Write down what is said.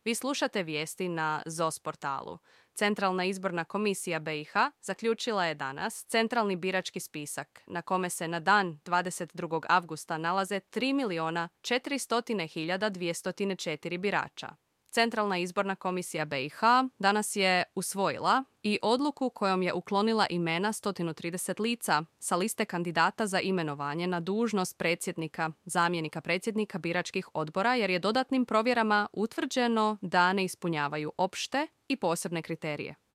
Vi slušate vijesti na ZOS portalu. Centralna izborna komisija BiH zaključila je danas centralni birački spisak na kome se na dan 22. avgusta nalaze 3.400.204 birača. Centralna izborna komisija BiH danas je usvojila i odluku kojom je uklonila imena 130 lica sa liste kandidata za imenovanje na dužnost predsjednika, zamjenika predsjednika biračkih odbora jer je dodatnim provjerama utvrđeno da ne ispunjavaju opšte i posebne kriterije.